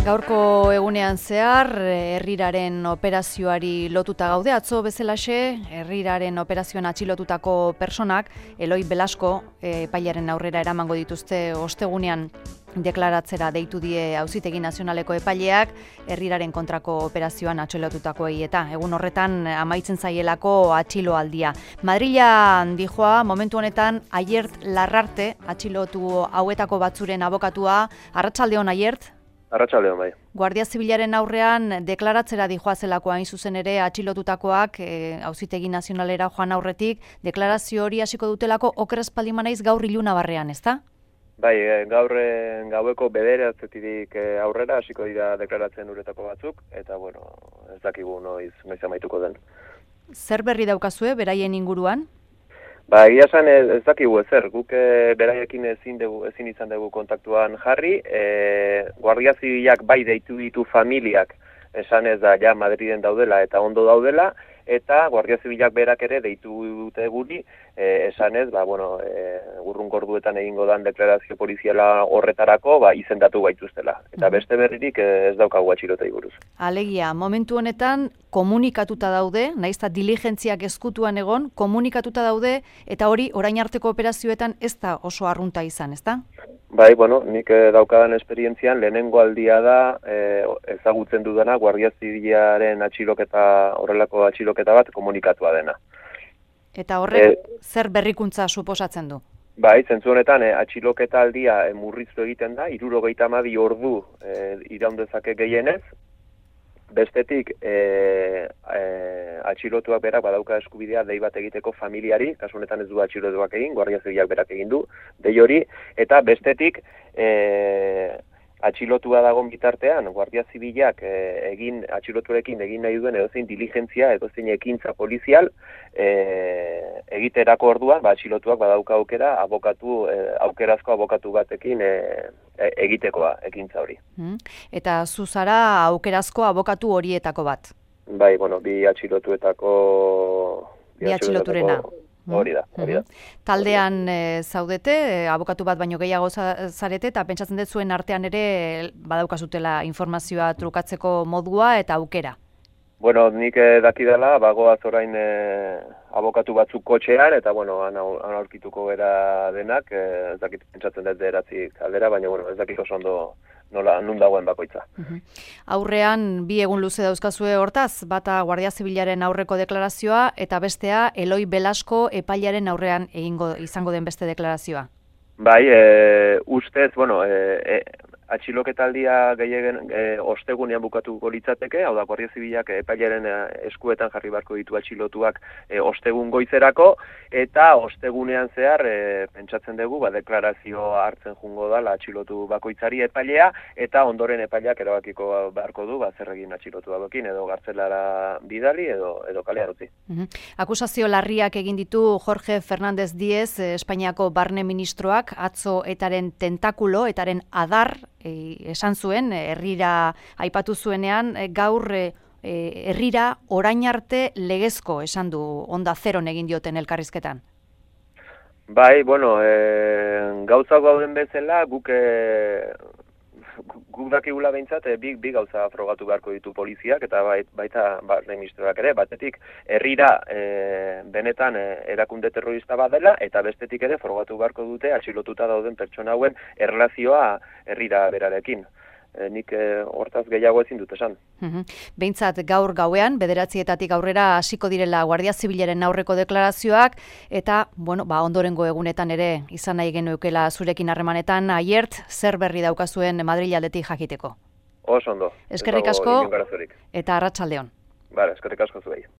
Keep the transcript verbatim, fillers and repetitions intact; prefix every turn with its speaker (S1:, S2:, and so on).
S1: Gaurko egunean zehar, herriraren operazioari lotuta gaude, atzo bezalaxe, herriraren operazioan atxilotutako personak, Eloi Belasko epailaren aurrera eramango dituzte ostegunean deklaratzera deitu die Auzitegi Nazionaleko epaileak, herriraren kontrako operazioan atxilotutakoei eta egun horretan amaitzen zaielako atxiloaldia. Madrila dijoa, momentu honetan, Aiert Larrarte, atxilotu hauetako batzuren abokatua. Arratsaldeon, Aiert?
S2: Arratsaldeon, bai.
S1: Guardia Zibilaren aurrean deklaratzera dijoazelako hain zuzen ere atxilotutakoak e, Auzitegi Nazionalera joan aurretik, deklarazio hori hasiko dutelako oker espaldin banaiz gaur iluna barrean, ezta?
S2: Bai, gaur gaueko bederatzitik aurrera hasiko dira deklaratzen uretako batzuk, eta bueno, ez dakigu noiz, noiz amaituko den.
S1: Zer berri daukazue beraien inguruan?
S2: Ba, egia esan ez, ez dakigu ezer, guk e, beraiekin ezin, dugu, ezin izan dugu kontaktuan jarri, e, Guardia Zibilak bai deitu ditu familiak, esan ez da ja Madriden daudela eta ondo daudela, eta Guardia Zibilak berak ere deitu dute guri, e, esan ez, ba, bueno, e, urrunkorduetan egingo dan deklarazio poliziala horretarako, ba, izendatu gaituztela. Eta beste berririk ez daukagu atxilotei buruz.
S1: Alegia, momentu honetan komunikatuta daude, nahiz eta diligentziak ezkutuan egon, komunikatuta daude, eta hori orain arteko operazioetan ez da oso arrunta izan, ezta?
S2: Bai, bueno, nik eh, daukadan esperientzian lehenengo aldia da eh, ezagutzen dudana Guardia Zibilaren atxiloketa, horrelako atxiloketa bat komunikatua dena.
S1: Eta horrek e, zer berrikuntza suposatzen du?
S2: Bai, zentzu honetan eh, atxiloketa aldia eh, murriztu egiten da, hirurogeita hamabi ordu eh, iraun dezake gehienez. Bestetik, e, e, atxilotuak berak badauka eskubidea dei bat egiteko familiari, kasu honetan ez du atxilotuak egin, Guardia Zibilak berak egin du, dei hori, eta bestetik, e, atxilotua dagoen bitartean, Guardia Zibilak e, egin, atxiloturekin egin nahi duen edozein diligentzia, edozein ekintza polizial, e, egiterako orduan, ba, atxilotuak badauka aukera, abokatu, e, aukerazko abokatu batekin e, e, egitekoa, ekintza hori.
S1: Hmm. Eta zu zara aukerazko abokatu horietako bat?
S2: Bai, bueno, bi atxilotuetako...
S1: Bi atxiloturena.
S2: Hori da, hori da.
S1: Taldean e, zaudete, e, abokatu bat baino gehiago zarete, eta pentsatzen dut zuen artean ere badaukazutela informazioa trukatzeko modua eta aukera.
S2: Bueno, nik eh, dakidala, bagoaz orain eh, abokatu batzuk kotxean, eta bueno, han aurkituko bera denak, eh, ez dakit pentsatzen dut deratzik aldera, baina bueno, ez dakit oso ondo nola nun dagoen bakoitza.
S1: Uh-huh. Aurrean bi egun luze dauzkazue hortaz, bata Guardia Zibilaren aurreko deklarazioa eta bestea Eloi Belasko epailaren aurrean egingo izango den beste deklarazioa.
S2: Bai, e, ustez, bueno, e, e, atxiloketaldia gehiagen e, ostegunean bukatuko litzateke, hau da Guardia Zibilak epailaren eskuetan jarri beharko ditu atxilotuak e, ostegun goizerako, eta ostegunean zehar e, pentsatzen dugu, ba, deklarazio hartzen jungo da atxilotu bakoitzari epailea, eta ondoren epaileak erabakiko beharko du, ba, zer egin atxilotu badokin, edo gartzelara bidali, edo, edo kalean utzi.
S1: Uh-huh. Akusazio larriak egin ditu Jorge Fernández Díez, Espainiako barne ministroak, atzo etaren tentakulo, etaren adar, e, esan zuen, herrira aipatu zuenean, e, gaur e, herrira orain arte legezko, esan du, onda zeron egin dioten elkarrizketan.
S2: Bai, bueno, e, gauzak gauden bezala, guk e, guk dakigula behintzat, e, bi, bi gauza frogatu beharko ditu poliziak, eta bait, baita barne ministroak ere, batetik herrira e, benetan e, erakunde terrorista bat dela, eta bestetik ere frogatu beharko dute atxilotuta dauden pertsona hauen erlazioa herrira berarekin. E, nik e, hortaz gehiago ezin dut esan.
S1: Uhum. Behintzat gaur gauean, bederatzietatik aurrera hasiko direla Guardia Zibilaren aurreko deklarazioak, eta, bueno, ba, ondorengo egunetan ere izan nahi genukeela zurekin harremanetan, Aiert, zer berri daukazuen Madril aldetik jakiteko.
S2: Oso ondo.
S1: Eskerrik asko, eta arratsaldeon.
S2: Bale, eskerrik asko zuei.